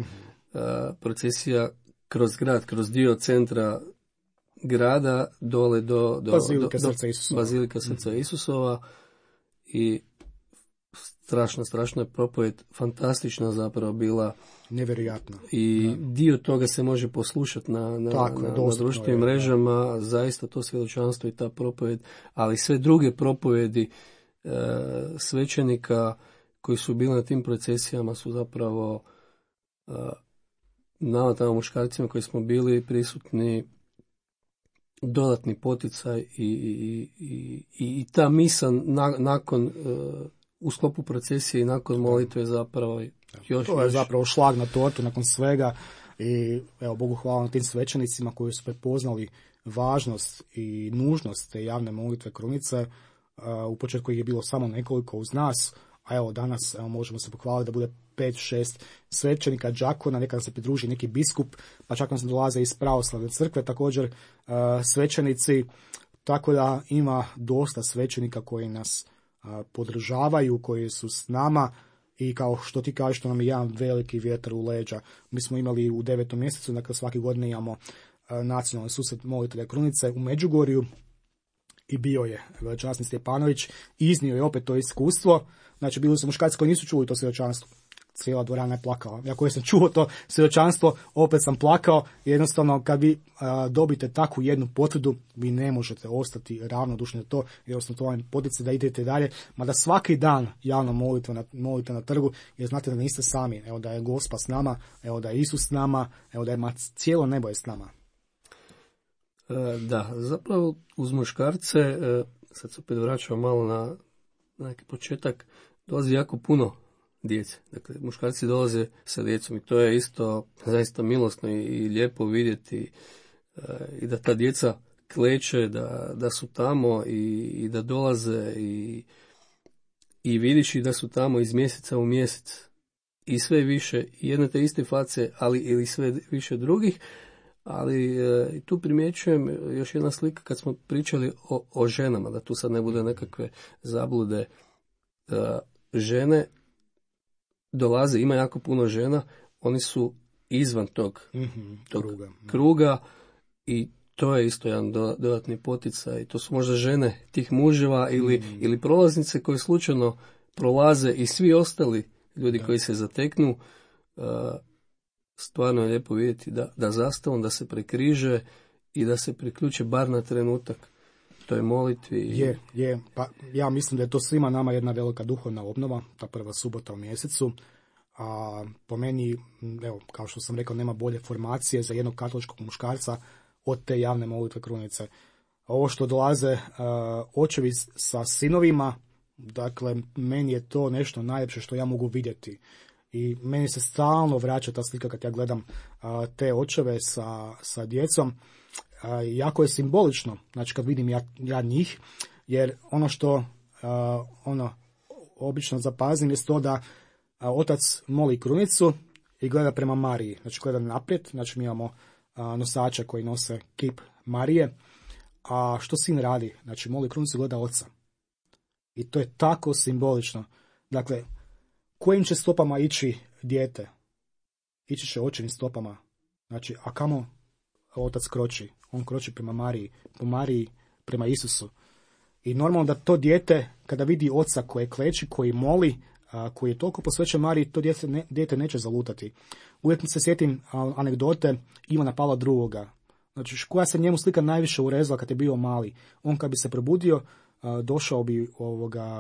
[SPEAKER 2] procesija kroz grad, kroz dio centra grada, dole do Bazilike Srca Isusova, i strašna je propovjed, fantastična zapravo bila.
[SPEAKER 3] Nevjerojatno.
[SPEAKER 2] I dio toga se može poslušati na društvenim mrežama, zaista to svjedočanstvo i ta propovjed, ali sve druge propovjedi svećenika koji su bili na tim procesijama su zapravo nama tamo muškarcima koji smo bili prisutni dodatni poticaj i ta misa nakon u sklopu procesije i nakon molitve zapravo
[SPEAKER 3] to je zapravo šlag na tortu nakon svega. I evo, Bogu hvala na tim svećenicima koji su prepoznali važnost i nužnost te javne molitve krunice. U početku je bilo samo nekoliko uz nas, a evo danas možemo se pohvaliti da bude 5-6 svećenika, đakona, nekada se pridruži neki biskup, pa čak nam se dolaze iz pravoslavne crkve također svećenici, tako da ima dosta svećenika koji nas podržavaju, koji su s nama. I kao što ti kažeš, to nam je jedan veliki vjetar u leđa. Mi smo imali u 9. mjesecu, dakle svake godine imamo nacionalni susret molitelja krunice u Međugorju i bio je velečasni Stjepanović i iznio je opet to iskustvo. Znači bili su muškarci koji nisu čuli to svjedočanstvo. cijela dvorana je plakala. Ja koji sam čuo to svjedočanstvo, opet sam plakao. Jednostavno, kad vi dobite takvu jednu potvrdu, vi ne možete ostati ravnodušni na to, jednostavno to vam potiče da idete dalje, mada svaki dan javno molite na trgu, jer znate da niste sami. Evo da je Gospa s nama, evo da je Isus s nama, evo da je cijelo nebo je s nama.
[SPEAKER 2] Da, zapravo uz muškarce, sad se opet vraćamo malo na neki početak, dolazi jako puno djece. Dakle, muškarci dolaze sa djecom i to je isto zaista milosno i lijepo vidjeti i da ta djeca kleče, da su tamo i da dolaze i vidiš i da su tamo iz mjeseca u mjesec i sve više jedne te iste face, ali ili sve više drugih. Ali tu primjećujem još jedna slika kad smo pričali o ženama, da tu sad ne bude nekakve zablude. Žene dolaze, ima jako puno žena, oni su izvan tog kruga i to je isto jedan dodatni poticaj. To su možda žene tih muževa ili prolaznice koje slučajno prolaze i svi ostali ljudi koji se zateknu. Stvarno je lijepo vidjeti da zastavom, da se prekriže i da se priključe bar na trenutak toj molitvi.
[SPEAKER 3] Je. Pa ja mislim da je to svima nama jedna velika duhovna obnova, ta prva subota u mjesecu. A po meni, evo, kao što sam rekao, nema bolje formacije za jednog katoličkog muškarca od te javne molitve krunice. Ovo što dolaze očevi sa sinovima, dakle, meni je to nešto najljepše što ja mogu vidjeti. I meni se stalno vraća ta slika kad ja gledam te očeve sa djecom. Jako je simbolično, znači kad vidim ja njih, jer ono što obično zapazim je to da otac moli krunicu i gleda prema Mariji, znači gleda naprijed, znači mi imamo nosača koji nose kip Marije, a što sin radi? Znači moli krunicu i gleda oca. I to je tako simbolično. Dakle, kojim će stopama ići dijete? Ići će očevim stopama. Znači, a kamo otac kroči? On kroči prema Mariji, po Mariji prema Isusu. I normalno da to dijete, kada vidi oca koje kleči, koji moli, koji je toliko posvećen Mariji, to dijete neće zalutati. Uvijek se sjetim anegdote Ivana Pavla II. Znači, koja se njemu slika najviše urezala kad je bio mali. On kad bi se probudio, došao bi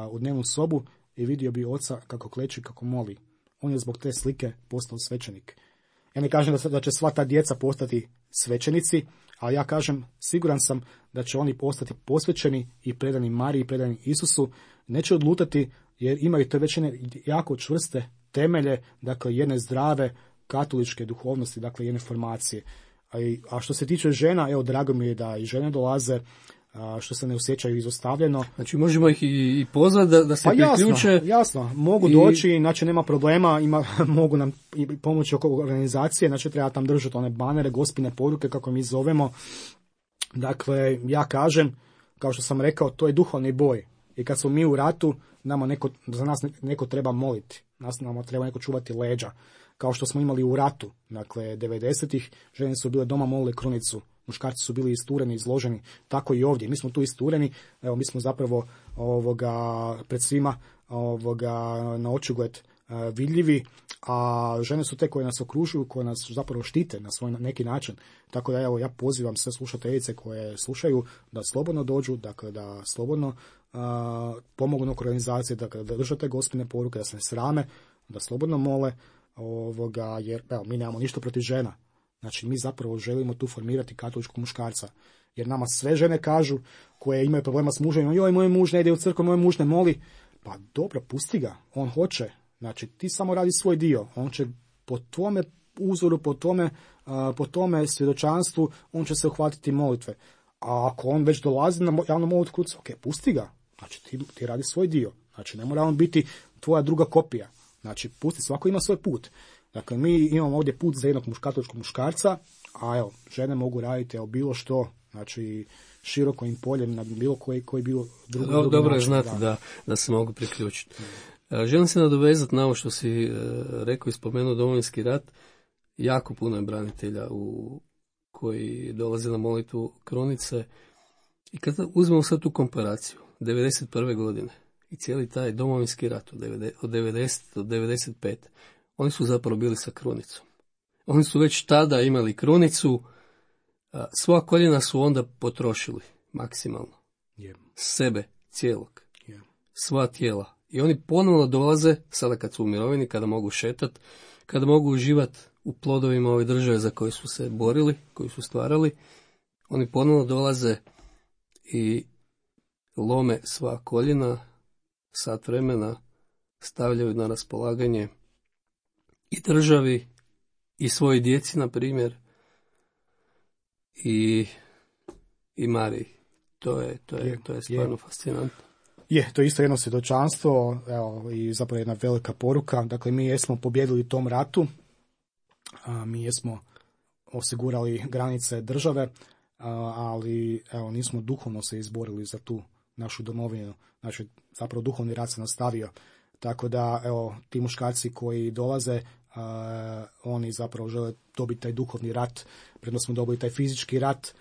[SPEAKER 3] u dnevnu sobu i vidio bi oca kako kleči, kako moli. On je zbog te slike postao svećenik. Ja ne kažem da će sva ta djeca postati svećenici, ali ja kažem, siguran sam da će oni postati posvećeni i predani Mariji, i predani Isusu. Neće odlutati jer imaju te već jako čvrste temelje, dakle jedne zdrave katoličke duhovnosti, dakle jedne formacije. A što se tiče žena, evo drago mi je da i žene dolaze, što se ne osjećaju izostavljeno.
[SPEAKER 2] Znači možemo ih i pozvati da se priključe.
[SPEAKER 3] Jasno, mogu doći, znači nema problema, mogu nam pomoći oko organizacije, znači treba tam držati one banere, gospine poruke, kako mi zovemo. Dakle, ja kažem, kao što sam rekao, to je duhovni boj. I kad smo mi u ratu, za nas neko treba moliti, nama treba neko čuvati leđa. Kao što smo imali u ratu, dakle, 90-ih, žene su bile doma, molile krunicu. Muškarci su bili istureni, izloženi, tako i ovdje. Mi smo tu istureni, evo mi smo zapravo pred svima na očigled vidljivi, a žene su te koje nas okružuju, koje nas zapravo štite na svoj neki način. Tako da evo ja pozivam sve slušateljice koje slušaju da slobodno dođu, dakle da slobodno pomognu oko organizacije, dakle da držate gospine poruke, da se ne srame, da slobodno mole, jer evo mi nemamo ništa protiv žena. Znači, mi zapravo želimo tu formirati katoličkog muškarca. Jer nama sve žene kažu, koje imaju problema s mužem, joj, moj muž ne ide u crkvu, moj muž ne moli. Pa dobro, pusti ga, on hoće. Znači, ti samo radi svoj dio. On će po tvome uzoru, po tome svjedočanstvu, on će se uhvatiti molitve. A ako on već dolazi na javnu molitvu, ok, pusti ga. Znači, ti radi svoj dio. Znači, ne mora on biti tvoja druga kopija. Znači, pusti, svako ima svoj put. Dakle, mi imamo ovdje put za jednog katoličkog muškarca, a evo, žene mogu raditi bilo što, znači širokim poljem na bilo koji bilo drugi način.
[SPEAKER 2] Dobro je znati da se mogu priključiti. Želim se nadovezati na ovo što si rekao i spomenuo Domovinski rat. Jako puno je branitelja koji dolaze na molitvu krunice. I kad uzmemo sad tu komparaciju, 91. godine i cijeli taj Domovinski rat od 90 do 95. oni su zapravo bili sa krunicom. Oni su već tada imali krunicu, svoja koljena su onda potrošili maksimalno. Sebe, cijelog, sva tijela. I oni ponovno dolaze, sada kad su u mirovini, kada mogu šetati, kada mogu uživati u plodovima ove države za koje su se borili, koju su stvarali, oni ponovno dolaze i lome sva koljena, sat vremena stavljaju na raspolaganje i državi i svojoj djeci, na primjer, i Mariji. To je stvarno fascinantno.
[SPEAKER 3] To je isto jedno svjedočanstvo, evo, i zapravo jedna velika poruka. Dakle, mi jesmo pobjedili u tom ratu, mi jesmo osigurali granice države, ali evo, nismo duhovno se izborili za tu našu domovinu. Znači, zapravo duhovni rat se nastavio. Tako da, evo, ti muškarci koji dolaze, oni zapravo žele dobiti taj duhovni rat, predno smo dobili taj fizički rat.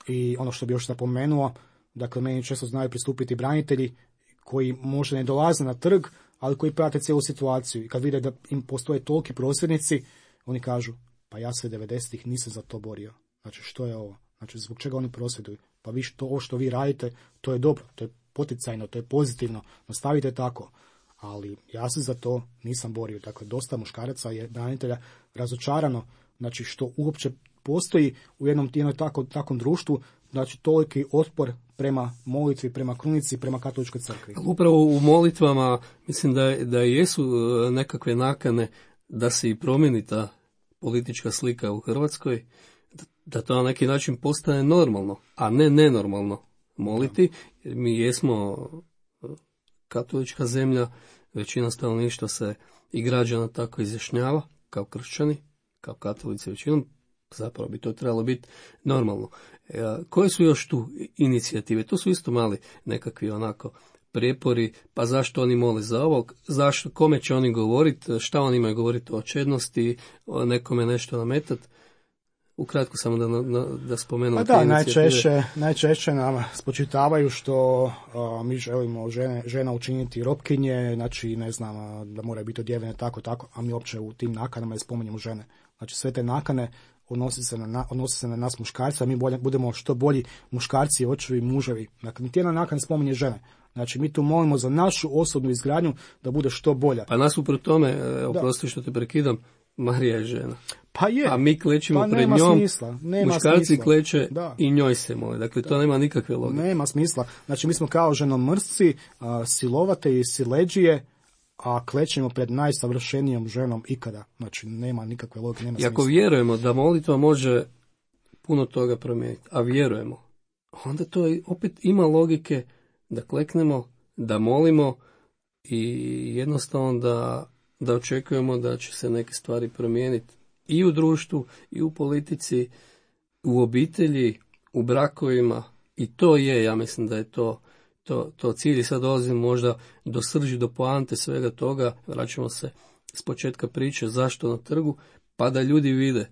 [SPEAKER 3] I ono što bi još napomenuo, dakle, meni često znaju pristupiti branitelji koji možda ne dolaze na trg, ali koji prate cijelu situaciju. I kad vide da im postoje toliki prosvjednici, oni kažu, pa ja se 90-ih nisam za to borio. Znači, što je ovo? Znači, zbog čega oni prosvjeduju? Pa vi ovo što vi radite, to je dobro, to je poticajno, to je pozitivno, nastavite tako. Ali ja se za to nisam borio. Dakle, dosta muškaraca je branitelja razočarano, znači, što uopće postoji u jednom takvom društvu, znači toliki otpor prema molitvi, prema krunici, prema katoličkoj crkvi.
[SPEAKER 2] Upravo u molitvama mislim da jesu nekakve nakane da se i promijeni ta politička slika u Hrvatskoj, da to na neki način postane normalno, a ne nenormalno moliti. Jer mi jesmo katolička zemlja, većina stanovništva se i građana tako izjašnjava, kao kršćani, kao katolici većinom, zapravo bi to trebalo biti normalno. Koje su još tu inicijative? To su isto mali nekakvi onako prijepori, pa zašto oni mole za ovog, zašto, kome će oni govoriti, šta oni imaju govoriti o čednosti, nekome nešto nametati. Ukratko samo da spomenu.
[SPEAKER 3] Pa da, najčešće nam spočitavaju što mi želimo žena učiniti robkinje, znači ne znam, da moraju biti odjevene tako, a mi uopće u tim nakanama ne spominjemo žene. Znači sve te nakane odnosi se na nas muškarca, a mi budemo što bolji muškarci, očevi, muževi. Dakle, niti jedna nakana ne spominje žene. Znači, mi tu molimo za našu osobnu izgradnju da bude što bolja.
[SPEAKER 2] Pa nasuprot tome, oprosti što te prekidam, Marija je žena.
[SPEAKER 3] Pa je.
[SPEAKER 2] A mi klećemo pred njom, muškarci kleće i njoj se mole. Dakle, to nema nikakve logike.
[SPEAKER 3] Nema smisla. Znači, mi smo kao ženomrsci, silovate i sileđije, a klećemo pred najsavršenijom ženom ikada. Znači, nema nikakve logike, nema smisla.
[SPEAKER 2] I ako vjerujemo da molitva može puno toga promijeniti, a vjerujemo, onda to opet ima logike da kleknemo, da molimo i jednostavno da očekujemo da će se neke stvari promijeniti i u društvu, i u politici, u obitelji, u brakovima. I to je, ja mislim da je to cilj. I sad dolazimo možda do srži, do poante svega toga. Vraćamo se s početka priče zašto na trgu, pa da ljudi vide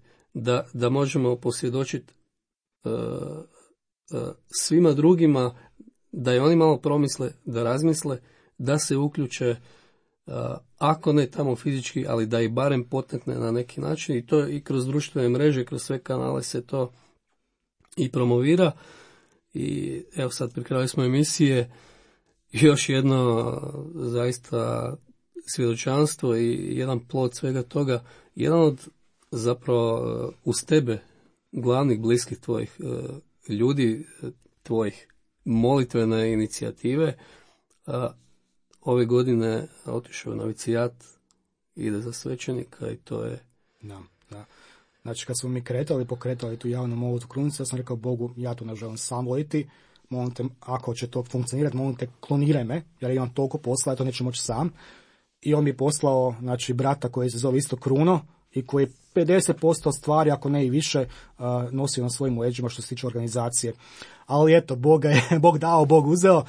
[SPEAKER 2] da možemo posvjedočiti svima drugima, da i oni malo promisle, da razmisle, da se uključe, ako ne tamo fizički, ali da i barem potekne na neki način. I to i kroz društvene mreže, kroz sve kanale se to i promovira. I evo sad pri kraju smo emisije, još jedno zaista svjedočanstvo i jedan plod svega toga. Jedan od zapravo uz tebe glavnih bliskih tvojih ljudi, tvojih molitvene inicijative, ove godine otišao na novicijat, ide za svećenika i to je...
[SPEAKER 3] Da. Znači, kad smo mi pokretali tu javnu molitvu krunice, ja sam rekao Bogu, ja to ne želim sam moliti, molim te, ako će to funkcionirati, molim te, kloniraj me, jer imam toliko posla, ja to neću moći sam. I on mi je poslao, znači, brata koji se zove isto Kruno i koji 50% stvari, ako ne i više, nosio na svojim leđima što se tiče organizacije. Ali eto, Bog dao, Bog uzeo.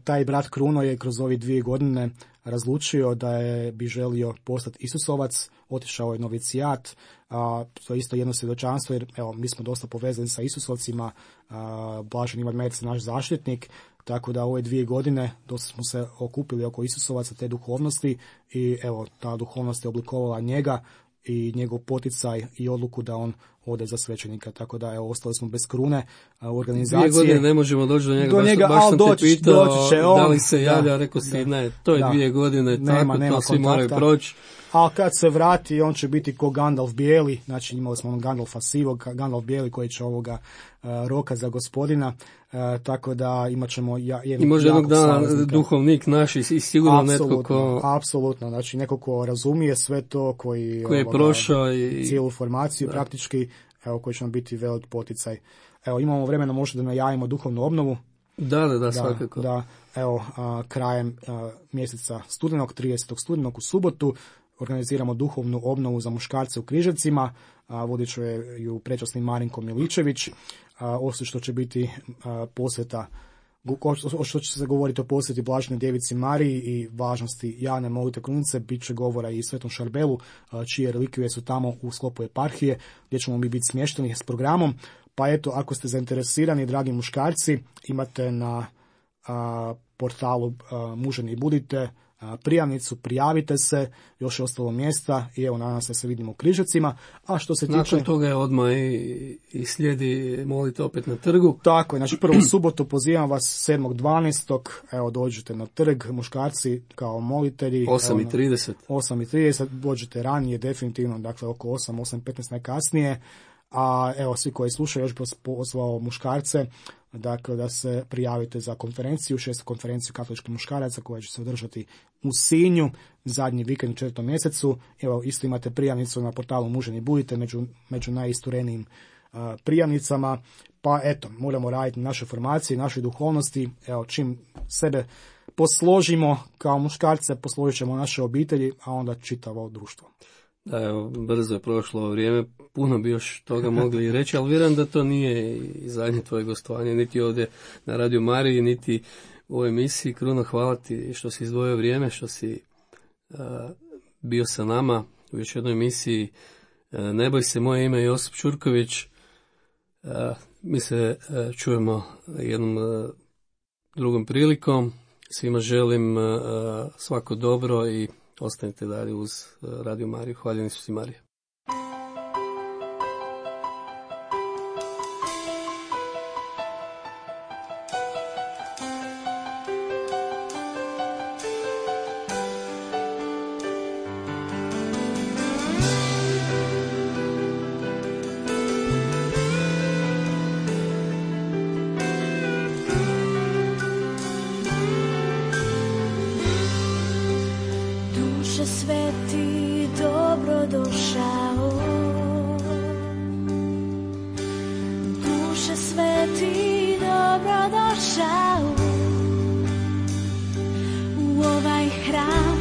[SPEAKER 3] Taj brat Kruno je kroz ove 2 godine razlučio da bi želio postati Isusovac, otišao je novicijat. To je isto jedno svjedočanstvo, jer evo, mi smo dosta povezani sa Isusovcima, Blažen Ivan Mec, naš zaštitnik, tako da ove 2 godine dosta smo se okupili oko Isusovaca, te duhovnosti, i evo, ta duhovnost je oblikovala njega i njegov poticaj i odluku da on ode za svećenika, tako da evo, ostali smo bez krune organizacije.
[SPEAKER 2] 2 godine ne možemo doći do njega, baš sam te pitao da li se javlja, rekao si ne, to je 2 godine, nema to svi moraju proći.
[SPEAKER 3] A kad se vrati, on će biti ko Gandalf bijeli, znači imali smo Gandalfa sivog, Gandalf bijeli koji će ovoga roka za gospodina, tako da imat ćemo
[SPEAKER 2] i može jednog dana duhovnik naš i sigurno netko ko...
[SPEAKER 3] Apsolutno, znači neko ko razumije sve to, koji
[SPEAKER 2] je prošao i
[SPEAKER 3] cijelu formaciju praktički, evo, koji će nam biti velik poticaj. Evo, imamo vremena možda da najavimo duhovnu obnovu.
[SPEAKER 2] Da, svakako.
[SPEAKER 3] Da, evo, krajem mjeseca studenog, 30. studenog u subotu, organiziramo duhovnu obnovu za muškarce u Križevcima, vodit će ju prečasni Marinko Miličević, osim što će biti posveta, što će se govoriti o posveti Blaženoj Djevici Mariji i važnosti javne molitve krunice, bit će govora i Svetom Šarbelu, čije relikvije su tamo u sklopu eparhije, gdje ćemo mi biti smješteni s programom. Pa eto, ako ste zainteresirani, dragi muškarci, imate na portalu Muženi budite prijavnicu, prijavite se, još je ostalo mjesta i evo, nadam se vidimo u Križevcima. A što se tiče...
[SPEAKER 2] Nakon toga je odmah i slijedi molite opet na trgu.
[SPEAKER 3] Tako je, znači prvu subotu pozivam vas 7.12. Evo, dođite na trg, muškarci kao molitelji.
[SPEAKER 2] 8.30.
[SPEAKER 3] 8.30, dođete ranije, definitivno, dakle oko 8.15 najkasnije. A evo, svi koji slušaju, još bih pozvao muškarce, dakle, da se prijavite za konferenciju, 6. konferenciju katoličkih muškaraca koja će se održati u Sinju, zadnji vikend u 4. mjesecu. Evo, isto imate prijavnicu na portalu Muženi budite među najisturenijim prijavnicama. Pa eto, moramo raditi na našoj formaciji, našoj duhovnosti. Evo, čim sebe posložimo kao muškarce, posložit ćemo naše obitelji, a onda čitavo društvo.
[SPEAKER 2] Da, evo, brzo je prošlo ovo vrijeme, puno bi još toga mogli reći, ali vjerujem da to nije i zadnje tvoje gostovanje, niti ovdje na Radio Mariji, niti u ovoj emisiji. Kruno, hvala ti što si izdvojio vrijeme, što si bio sa nama u još jednoj emisiji. Ne boj se, moje ime je Josip Čurković. Mi se čujemo jednom drugom prilikom. Svima želim svako dobro i ostanite dalje uz Radio Mariju. Hvaljeni su si, Marija.
[SPEAKER 1] Sveti, dobro došao. Duše sveti, dobro došao u ovaj hram,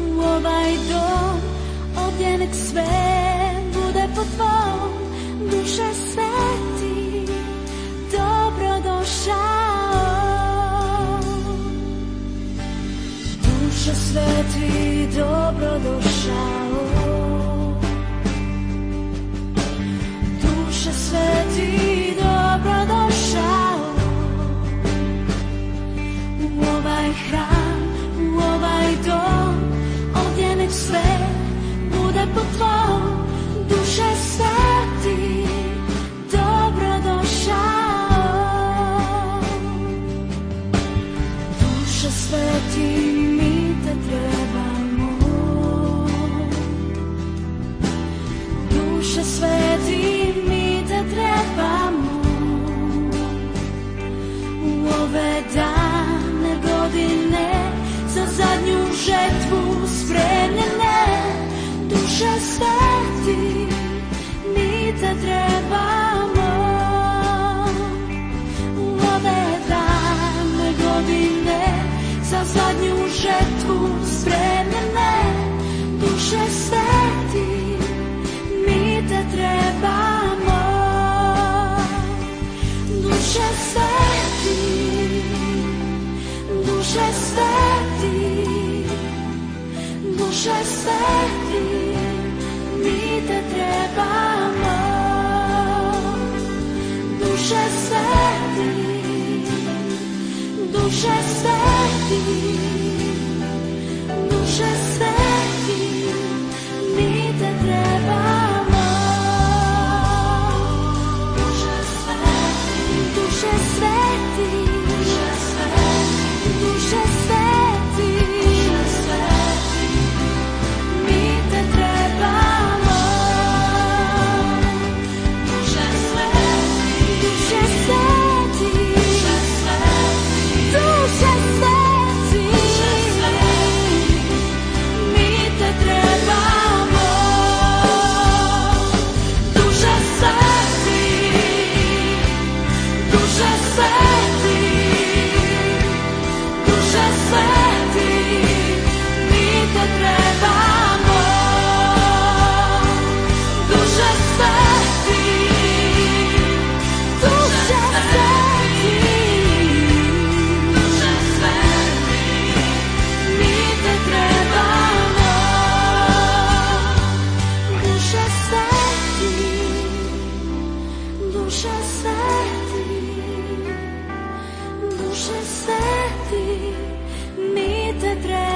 [SPEAKER 1] u ovaj dom, ovdje nek sve bude po tvom. Duše sveti, dobro došao. Duše sveti, dobro došao. Duše sveti, dobro došao u ovaj hram, u ovaj dom, ovdje nek sve bude po tvom. Duše sveti, dobro došao. Duše sveti, mi te trebamo. Duše sveti, mi te trebamo. U ove dane godine za zadnju žetvu spremljene. Duše sveti, mi te trebamo. U ove dane godine za zadnju žetvu spremljene. Duše sveti, mi te trebamo. Duše sveti, duše sveti, duše sveti, mi te trebamo. Duše sveti, duše sveti, duše sveti, mi te trebamo. Duše sveti, duše sveti, duše sveti, duše sveti, mi te trebamo. Duše sveti, duše sveti, duše sveti, mi te trebamo. Duše sveti, duše sveti, duše sveti, mi te trebamo. Duše sveti, duše sveti, duše sveti, mi te trebamo. Duše sveti, duše sveti, duše sveti, mi te trebamo.